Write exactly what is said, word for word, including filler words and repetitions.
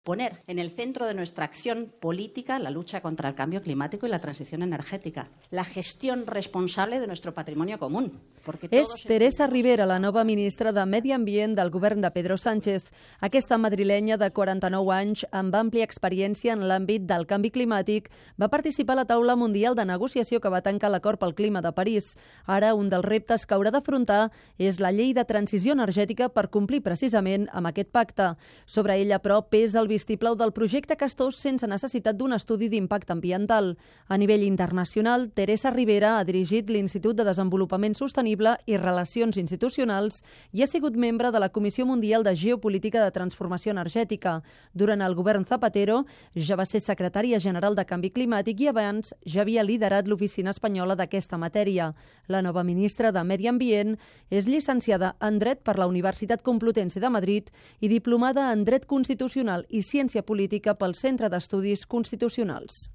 Poner en el centro de nuestra acción política la lucha contra el cambio climático y la transición energètica, la gestión responsable de nuestro patrimonio común. És Teresa Ribera, la nova ministra de Medi Ambient del govern de Pedro Sánchez. Aquesta madrilenya de quaranta-nou anys, amb àmplia experiència en l'àmbit del canvi climàtic, va participar a la taula mundial de negociació que va tancar l'acord pel clima de París. Ara, un dels reptes que haurà d'afrontar és la llei de transició energètica per complir precisament amb aquest pacte. Sobre ella, però, pesa el vistiplau del projecte Castor sense necessitat d'un estudi d'impacte ambiental. A nivell internacional, Teresa Ribera ha dirigit l'Institut de Desenvolupament Sostenible i Relacions Institucionals i ha sigut membre de la Comissió Mundial de Geopolítica de Transformació Energètica. Durant el govern Zapatero ja va ser secretària general de Canvi Climàtic i abans ja havia liderat l'oficina espanyola d'aquesta matèria. La nova ministra de Medi Ambient és llicenciada en Dret per la Universitat Complutense de Madrid i diplomada en Dret Constitucional i Ciència Política pel Centre d'Estudis Constitucionals.